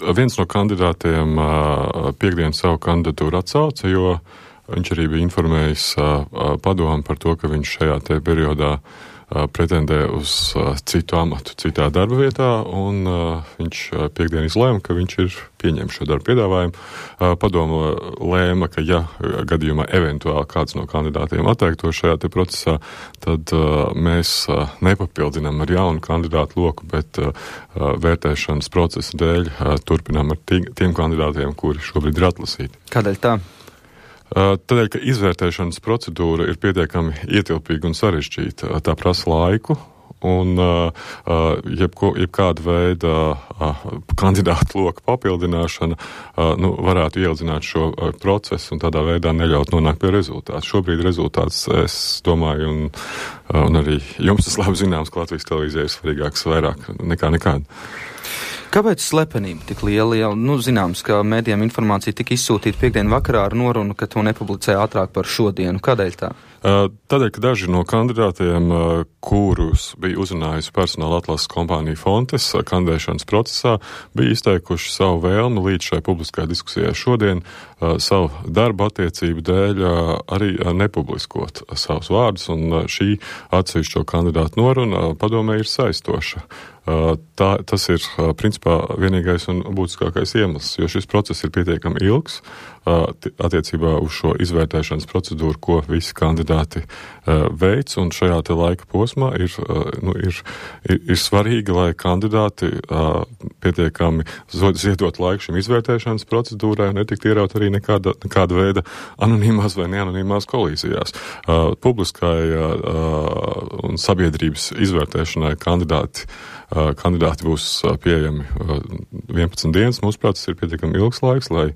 Viens no kandidātiem piekdien savu kandidatūru atsauca, jo viņš arī bija informējis padomu par to, ka viņš šajā te periodā pretendē uz citu amatu, citā darba vietā, un viņš piekdien izlēma, ka viņš ir pieņēmis šo darbu piedāvājumu. Padomu lēma, ka ja gadījumā eventuāli kāds no kandidātiem atteikto šajā te procesā, tad mēs nepapildinām ar jaunu kandidātu loku, bet vērtēšanas procesa dēļ turpinām ar tiem kandidātiem, kuri šobrīd ir atlasīti. Kādēļ tā? Tādēļ, ka izvērtēšanas procedūra ir pietiekami ietilpīga un sarežģīta. Tā prasa laiku, un jebkāda veida kandidātu loka papildināšana varētu ieildzināt šo procesu un tādā veidā neļaut nonākt pie rezultātu. Šobrīd rezultāts, es domāju, un arī jums tas labi zināms, ka Latvijas televīzija ir svarīgāks vairāk nekā nekāda. Kāpēc slepenība tik liela? Jau, zināms, ka mēdījiem informācija tika izsūtīta piekdien vakarā ar norunu, ka to nepublicē ātrāk par šodienu. Kādēļ tā? Tādēļ, ka daži no kandidātiem, kurus bija uzrunājusi personāla atlases kompānija Fontes kandidēšanas procesā, bija izteikuši savu vēlmi līdz šai publiskajai diskusijai šodien savu darbu attiecību dēļ arī nepubliskot savus vārdus, un šī atsevišķo kandidātu noruna padomē ir saistoša. Tas ir principā vienīgais un būtiskākais iemesls, jo šis process ir pietiekami ilgs attiecībā uz šo izvērtēšanas procedūru, ko visi kandidāti veic, un šajā te laika posmā ir svarīgi, lai kandidāti pietiekami ziedot laiku šim izvērtēšanas procedūrai un netikt ieraut arī nekāda veida anonīmās vai neanonīmās kolīzijās. Publiskai un sabiedrības izvērtēšanai kandidāti būs pieejami 11 dienas. Mūsuprāt, tas ir pietiekami ilgs laiks, lai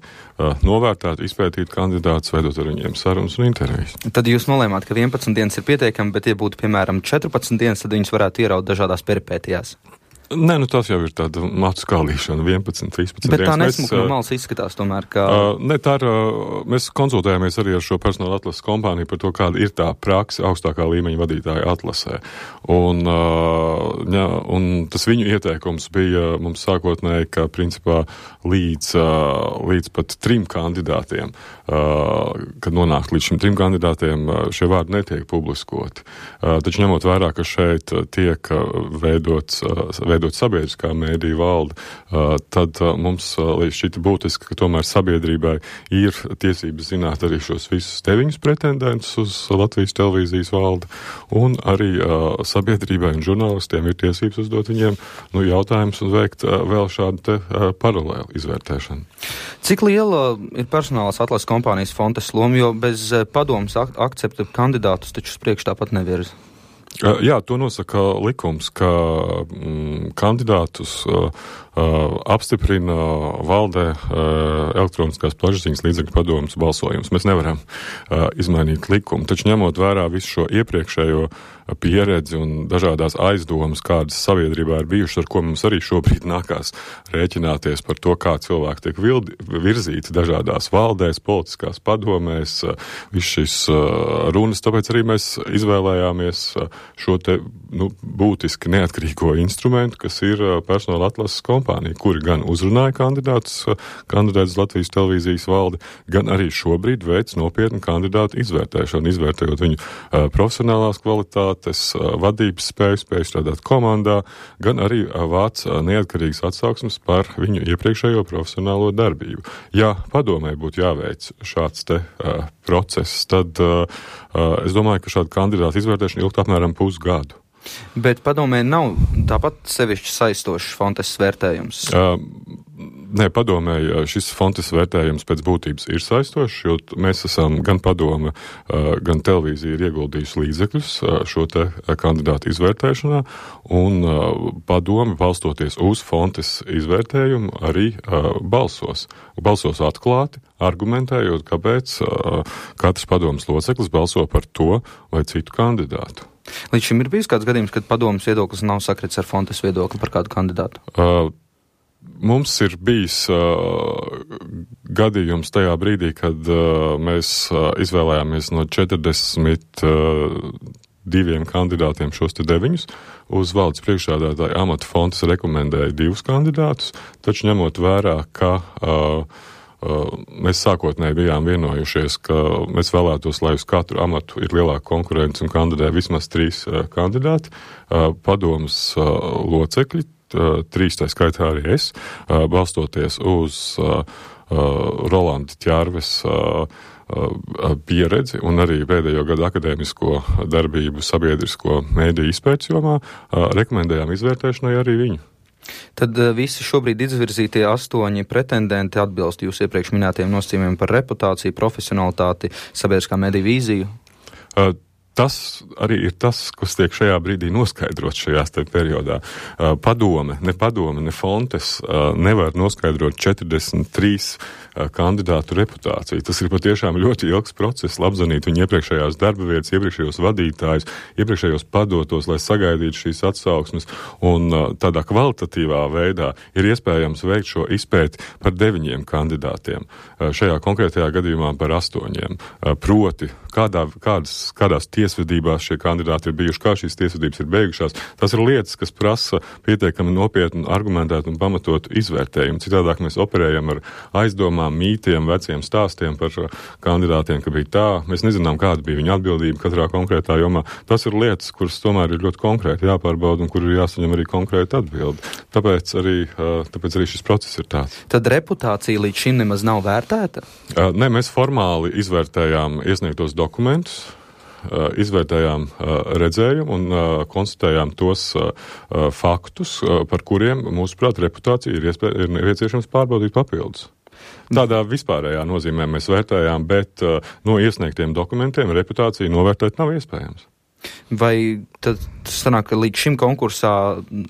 novērtētu, izpētītu kandidātus, veidot ar viņiem sarunas un intervijas. Tad jūs nolēmāt, ka 11 dienas ir pietiekami, bet ja būtu, piemēram, 14 dienas, tad viņus varētu ieraut dažādās peripētijās. Nē, tas jau ir tāda matu skaldīšana, 11, 13 Bet dienas. Tā nesmuka no malas izskatās tomēr, ka... Ne, tā ir, mēs konsultējāmies arī ar šo personāla atlases kompāniju par to, kāda ir tā prakse augstākā līmeņa vadītāja atlasē. Un tas viņu ieteikums bija mums sākotnēji, ka principā līdz pat 3 kandidātiem, kad nonākt līdz šim 3 kandidātiem, šie vārdi netiek publiskoti. Taču ņemot vērā, ka šeit tiek veidot sabiedriskā mēdīja valde, tad mums līdz šķita būtiski, ka tomēr sabiedrībai ir tiesības zināt arī šos visus 9 pretendentus uz Latvijas televīzijas valdi, un arī sabiedrībai un žurnālistiem ir tiesības uzdot viņiem jautājumus un veikt vēl šādu te paralēlu izvērtēšanu. Cik liela ir personālās atlases kompānijas Fontes loma, jo bez padomas akcepta kandidātus taču uz priekšu tāpat nevirza? Jā, to nosaka likums, ka kandidātus apstiprina valdē elektroniskās plašsaziņas līdzekļu padomes balsojums. Mēs nevaram izmainīt likumu, taču ņemot vērā visu šo iepriekšējo pieredzi un dažādās aizdomas, kādas sabiedrībā ir bijušas, ar ko mums arī šobrīd nākās rēķināties par to, kā cilvēki tiek virzīti dažādās valdēs, politiskās padomēs, viss šis runas, tāpēc arī mēs izvēlējāmies šo te būtiski neatkarīgo instrumentu, kas ir personāla atlases kompānija, kuri gan uzrunāja kandidātus Latvijas televīzijas valdi, gan arī šobrīd veic nopietnu kandidātu izvērtēšanu, izvērtējot viņu profesionālās kvalitātes, vadības spēju strādāt komandā, gan arī vāc neatkarīgas atsauksmes par viņu iepriekšējo profesionālo darbību. Ja padomē būtu jāveic šāds te process, tad es domāju, ka šāda kandidāta izvērtēšana ilgt apmēram pusgadu. Bet padomē nav tāpat sevišķi saistošs Fontes vērtējums? Nē, padomē, šis Fontes vērtējums pēc būtības ir saistošs, jo mēs esam gan padome, gan televīzija ir ieguldījusi līdzekļus šo te kandidātu izvērtēšanā, un padome, balstoties uz Fontes izvērtējumu, arī balsos. Balsos atklāti, argumentējot, kāpēc katrs padomes loceklis balso par to vai citu kandidātu. Līdz šim ir bijis kāds gadījums, kad padomes viedoklis nav sakrits ar Fontes viedokli par kādu kandidātu? Mums ir bijis gadījums tajā brīdī, kad mēs izvēlējāmies no 40 2 kandidātiem šos te 9. Uz valdes priekšsēdētāja amata Fontes rekomendēja 2 kandidātus, taču ņemot vērā, ka mēs sākotnēji bijām vienojušies, ka mēs vēlētos, lai uz katru amatu ir lielāka konkurence un kandidē vismaz 3 kandidāti. Padomas locekļi, 3 tā skaitā arī es, balstoties uz Rolanda Ķērves pieredzi un arī pēdējo gadu akadēmisko darbību sabiedrisko mēdīju izpētes jomā, rekomendējām izvērtēšanai arī viņu. Tad visi šobrīd izvirzītie 8 pretendenti atbilst jūs iepriekš minētiem nosacījumiem par reputāciju, profesionalitāti, sabiedriskā mediju vīziju? Tas arī ir tas, kas tiek šajā brīdī noskaidrots šajās te periodā. Padome, ne Fontes nevar noskaidrot 43 kandidātu reputāciju. Tas ir patiešām ļoti ilgs process, apzvanīt viņu iepriekšējās darba vietas, iepriekšējos vadītājus, iepriekšējos padotos, lai sagaidītu šīs atsauksmes, un tādā kvalitatīvā veidā ir iespējams veikt šo izpēti par 9 kandidātiem. Šajā konkrētajā gadījumā par 8. Proti, kādās tiesvedībās šie kandidāti ir bijuši, kā šīs tiesvedības ir beigušās. Tas ir lietas, kas prasa pietiekami nopietnu, argumentētu un pamatotu izvērtējumu. Citādāk mēs operējam ar aizdomām, mītiem, veciem stāstiem par kandidātiem, ka bija tā. Mēs nezinām, kāda bija viņa atbildība katrā konkrētā jomā. Tas ir lietas, kuras tomēr ir ļoti konkrēti jāpārbauda un kur ir jāsaņem arī konkrēta atbildi. Tāpēc arī šis process ir tāds. Tad reputācija līdz šim nemaz nav vērtēta? Nē, mēs formāli izvērtējām iesniegtos dokumentus, izvērtējām redzējumu un konstatējām tos faktus, par kuriem, mūsuprāt, reputācija ir nepieciešams pārbaudīt papildus. Tādā vispārējā nozīmē mēs vērtējām, bet no iesniegtiem dokumentiem reputāciju novērtēt nav iespējams. Vai tad sanāk, ka līdz šim konkursā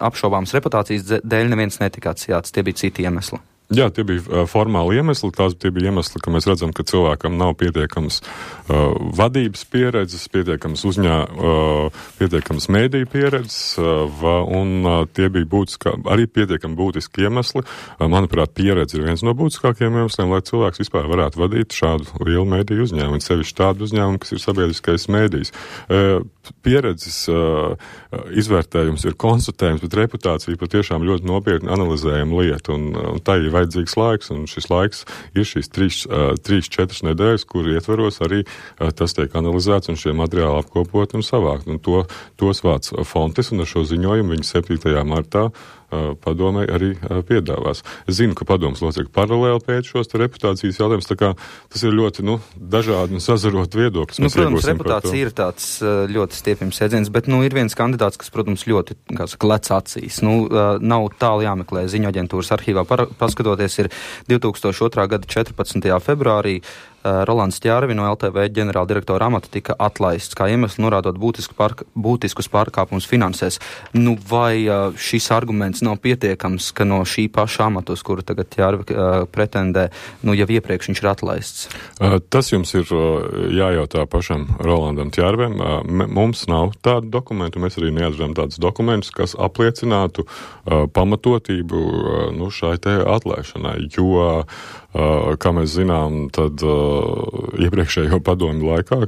apšaubāmas reputācijas dēļ neviens netika atsijāts, tie bija citi iemesli? Jā, tie bija formāli iemesli, tie bija iemesli, ka mēs redzam, ka cilvēkam nav pietiekams vadības pieredzes, pietiekams mēdīju pieredzes, un tie bija arī pietiekami būtiski iemesli. Manuprāt, pieredze ir viens no būtiskākajiem iemesliem, lai cilvēks vispār varētu vadīt šādu lielu mēdīju uzņēmumu, sevišķi tādu uzņēmumu, kas ir sabiedriskais mēdījis. Pieredzes izvērtējums ir konstatējums, bet reputācija patiešām ļoti nopietni analizējama lieta, un tā ir vajadzīgs laiks, un šis laiks ir šīs 3-4 nedēļas, kur ietveros arī tas tiek analizēts un šie materiāli apkopot un savākt. Un tos vāc Fontes, un ar šo ziņojumu viņi 7. martā padomei arī piedāvās. Es zinu, ka padomas locekļi paralēli pēc šos reputācijas jautājumus, tā kā tas ir ļoti, dažādi un sazarot viedokļus. Protams, reputācija ir tāds ļoti stiepjams jēdziens, bet, ir viens kandidāts, kas, protams, ļoti, lec acīs. Nav tālu jāmeklē ziņoaģentūras arhīvā. Paskatoties, ir 2002. gada 14. februārī Rolands Ķērvi no LTV ģenerāldirektora amata tika atlaists, kā iemesls norādot būtiskus pārkāpumus finansēs. Vai šis arguments nav pietiekams, ka no šī paša amata, uz kuru tagad Ķērvi pretendē, jau iepriekš viņš ir atlaists? Tas jums ir jājautā pašam Rolandam Ķērvem. Mums nav tādu dokumentu, mēs arī neatradām tādus dokumentus, kas apliecinātu pamatotību šai te atlaišanai, jo kā mēs zinām, tad iepriekšējo padomju laikā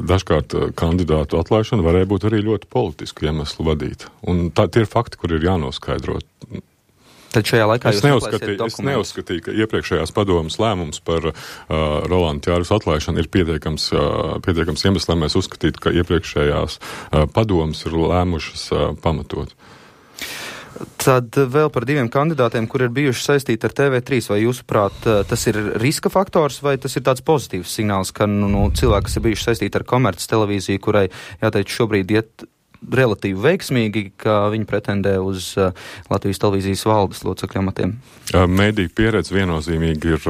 dažkārt kandidātu atlaišana varēja būt arī ļoti politisku iemeslu vadīta. Un tie ir fakti, kur ir jānoskaidro. Tad šajā laikā es neuzskatīju, ka iepriekšējās padomas lēmums par Rolanda Ķērves atlaišanu ir pietiekams iemesls, lai mēs uzskatītu, ka iepriekšējās padomas ir lēmušas pamatot. Tad vēl par 2 kandidātiem, kur ir bijuši saistīti ar TV3, vai jūsuprāt tas ir riska faktors, vai tas ir tāds pozitīvs signāls, ka cilvēki, kas ir bijuši saistīti ar komerces televīziju, kurai, jāteic, šobrīd iet relatīvi veiksmīgi, ka viņi pretendē uz Latvijas televīzijas valdes locekļu amatiem? Mēdīju pieredze viennozīmīgi ir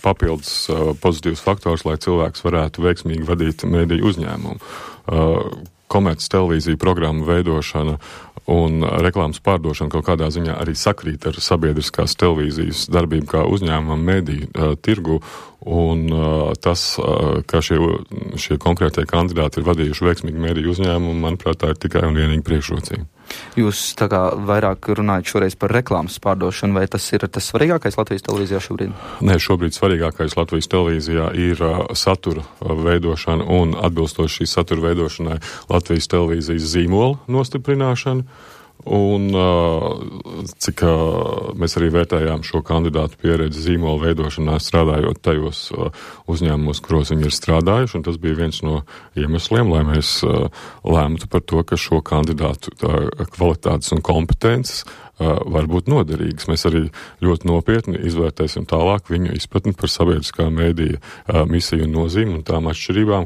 papildus pozitīvs faktors, lai cilvēks varētu veiksmīgi vadīt mēdīju uzņēmumu. Komerces televīzija programmu veidošana un reklāmas pārdošana kaut kādā ziņā arī sakrīt ar sabiedriskās televīzijas darbību kā uzņēmumam mediju tirgu, un tas, ka šie konkrētie kandidāti ir vadījuši veiksmīgi mediju uzņēmumu, manuprāt, tā ir tikai un vienīgi priekšrocība. Jūs tā kā vairāk runājat šoreiz par reklāmas pārdošanu, vai tas ir tas svarīgākais Latvijas televīzijā šobrīd? Nē, šobrīd svarīgākais Latvijas televīzijā ir satura veidošana un atbilstoši šī satura veidošanai Latvijas televīzijas zīmola nostiprināšana. Un cik mēs arī vērtējām šo kandidātu pieredzi zīmola veidošanā, strādājot tajos uzņēmumos, kuros viņi ir strādājuši, un tas bija viens no iemesliem, lai mēs lēmtu par to, ka šo kandidātu kvalitātes un kompetences var būt noderīgas. Mēs arī ļoti nopietni izvērtēsim tālāk viņu izpratni par sabiedriskā mēdīja misiju un nozīmi un tām atšķirībām,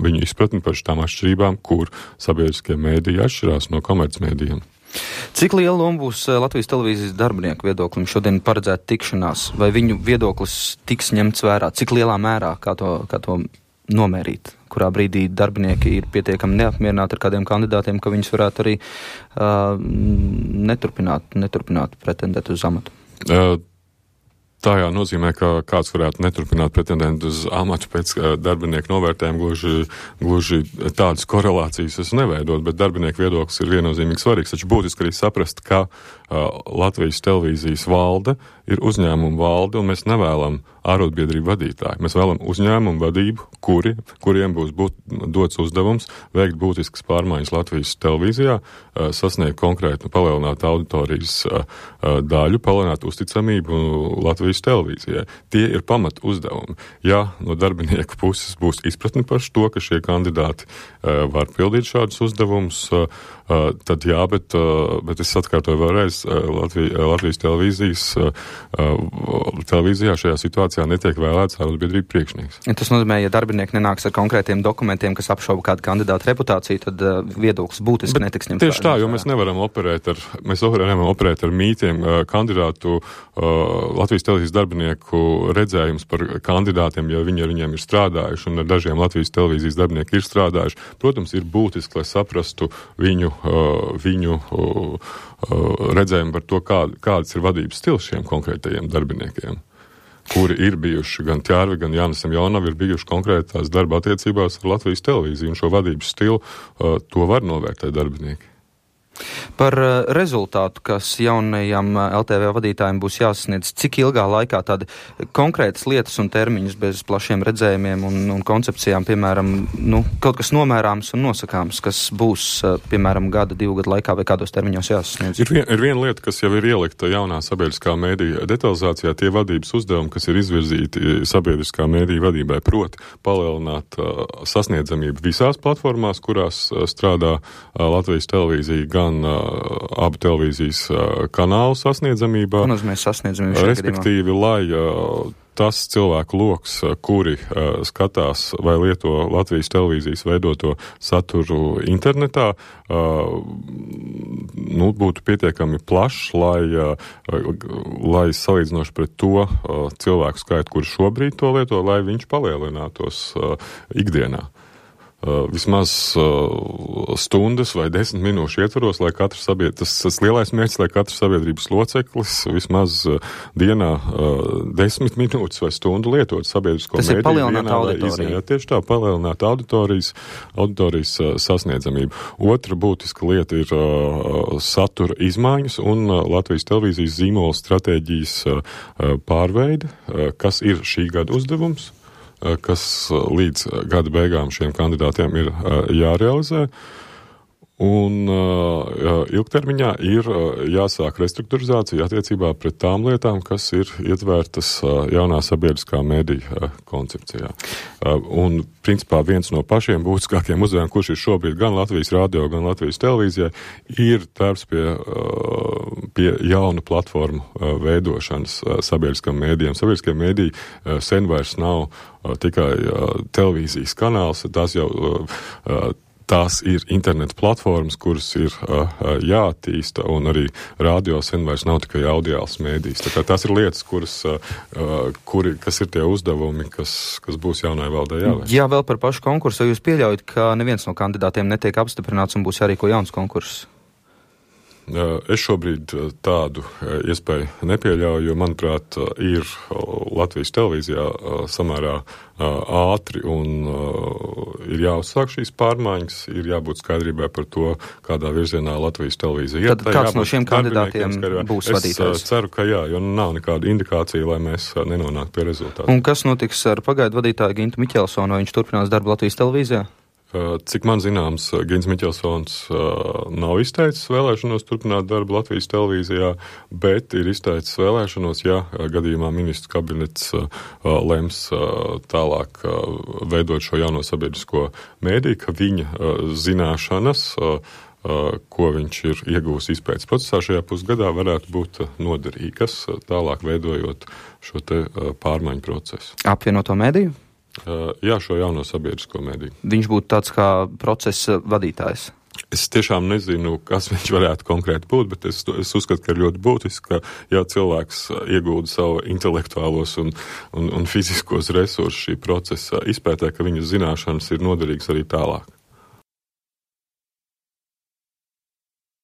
viņu izpratni par tām atšķirībām, kur sabiedriskie mēdīji atšķirās no komercmēdījiem. Cik liela loma būs Latvijas televīzijas darbinieku viedoklim šodien paredzēta tikšanās? Vai viņu viedoklis tiks ņemts vērā? Cik lielā mērā, kā to nomērīt? Kurā brīdī darbinieki ir pietiekami neapmierināti ar kādiem kandidātiem, ka viņus varētu arī neturpināt pretendēt uz amatu? Tā nozīmē, ka kāds varētu neturpināt pretendēt uz amatu pēc darbinieku novērtējuma, gluži tādas korelācijas es neveidot, bet darbinieku viedoklis ir viennozīmīgi svarīgs. Taču būtiski arī saprast, ka Latvijas televīzijas valde ir uzņēmuma valde, un mēs nevēlam ārotbiedrību vadītāju. Mēs vēlam uzņēmumu vadību, kuriem būs dots uzdevums veikt būtiskas pārmaiņas Latvijas televīzijā, sasniegt konkrētu palielināt auditorijas daļu, palielināt uzticamību Latvijas televīzijai. Tie ir pamat uzdevumi. Ja no darbinieku puses būs izpratni par to, ka šie kandidāti var pildīt šādus uzdevumus, tad jā, bet es atkārtoju vēlreiz, Latvijas televīzijā šajā situācijā netiek vēlēts ārotbiedrību priekšnieks. Tas nozīmē, ja darbinieki nenāks ar konkrētiem dokumentiem, kas apšauba kādu kandidātu reputāciju, tad viedoklis būtiski netiks ņemts. Tieši tā, jo mēs nevaram operēt ar mītiem kandidātu Latvijas televīzijas darbinieku redzējums par kandidātiem, ja viņi ar viņiem ir strādājuši, un ar dažiem Latvijas televīzijas darbinieki ir strādājuši. Protams, ir būtiski, lai saprastu viņu redzējumu par to, kāds ir vadības stils šiem konkrētajiem darbiniekiem, kuri ir bijuši gan Ķērvi, gan Jānis Semjonovi, ir bijuši konkrētās darba attiecībās ar Latvijas televīziju, un šo vadības stilu to var novērtēt darbinieki. Par rezultātu, kas jaunajam LTV vadītājiem būs jāsasniedz, cik ilgā laikā tādi konkrētas lietas un termiņus bez plašiem redzējumiem un koncepcijām, piemēram, kaut kas nomērāms un nosakāms, kas būs, piemēram, 2 gadu laikā vai kādos termiņos jāsasniedz? Ir viena lieta, kas jau ir ielikta jaunā sabiedriskā mēdīja detalizācijā, tie vadības uzdevumi, kas ir izvirzīti sabiedriskā mēdīja vadībai, proti palielināt sasniedzamību visās platformās, kurās strādā Latvijas televīzija, gan abu televīzijas kanālu sasniedzamībā. Respektīvi, lai tas cilvēku loks, kuri skatās vai lieto Latvijas televīzijas veidoto saturu internetā, būtu pietiekami plašs, lai salīdzinoši pret to cilvēku skaitu, kuri šobrīd to lieto, lai viņš palielinātos ikdienā. Vismaz stundas vai 10 minūšu ietvaros, lai katrs tas lielais mērķis, lai katrs sabiedrības loceklis vismaz dienā 10 minūtes vai stundu lietot sabiedrisko mēdīju. Tas ir palielināt auditoriju. Tieši tā, palielināt auditorijas sasniedzamību. Otra būtiska lieta ir satura izmaiņas un Latvijas televīzijas zīmola stratēģijas pārveide, kas ir šī gada uzdevums, kas līdz gada beigām šiem kandidātiem ir jārealizē. Un ilgtermiņā ir jāsāk restruktūrizācija attiecībā pret tām lietām, kas ir ietvērtas jaunā sabiedriskā mēdīja koncepcijā. Un, principā, viens no pašiem būtiskākiem uzdevumiem, kurš ir šobrīd gan Latvijas radio, gan Latvijas televīzijai, ir darbs pie jaunu platformu veidošanas sabiedriskam mēdījiem. Sabiedriskie mēdīji sen vairs nav tikai televīzijas kanāls, tās ir interneta platformas, kuras ir jāattīsta, un arī radio sen vairs nav tikai audiāls mēdījis. Tā kā tās ir lietas, kas ir tie uzdevumi, kas būs jaunai valdei jāveic. Jā, vēl par pašu konkursu. Jūs pieļaujat, ka neviens no kandidātiem netiek apstiprināts un būs jārīko jauns konkurss? Es šobrīd tādu iespēju nepieļauju, jo, manuprāt, ir Latvijas televīzijā samērā ātri un ir jāuzsāk šīs pārmaiņas, ir jābūt skaidrībai par to, kādā virzienā Latvijas televīzija. Tad kāds no šiem kandidātiem būs vadītājs? Es ceru, ka jā, jo nav nekāda indikācija, lai mēs nenonāktu pie rezultātu. Un kas notiks ar pagaidu vadītāju Gintu Miķelsonu, vai viņš turpinās darbu Latvijas televīzijā? Cik man zināms, Gins Miķelsons nav izteicis vēlēšanos turpināt darbu Latvijas televīzijā, bet ir izteicis vēlēšanos, ja gadījumā ministrs kabinets lems tālāk veidot šo jauno sabiedrisko mēdī, ka viņa zināšanas, ko viņš ir iegūs izpētes procesā šajā pusgadā, varētu būt noderīgas, tālāk veidojot šo te pārmaiņu procesu. Apvienoto mēdīju? Jā, šo jauno sabiedrisko mēdīju. Viņš būtu tāds kā procesa vadītājs. Es tiešām nezinu, kas viņš varētu konkrēti būt, bet es uzskatu, ka ir ļoti būtiski, ka ja cilvēks iegūda savu intelektuālos un fiziskos resursus šī procesa izpētē, ka viņas zināšanas ir noderīgas arī tālāk.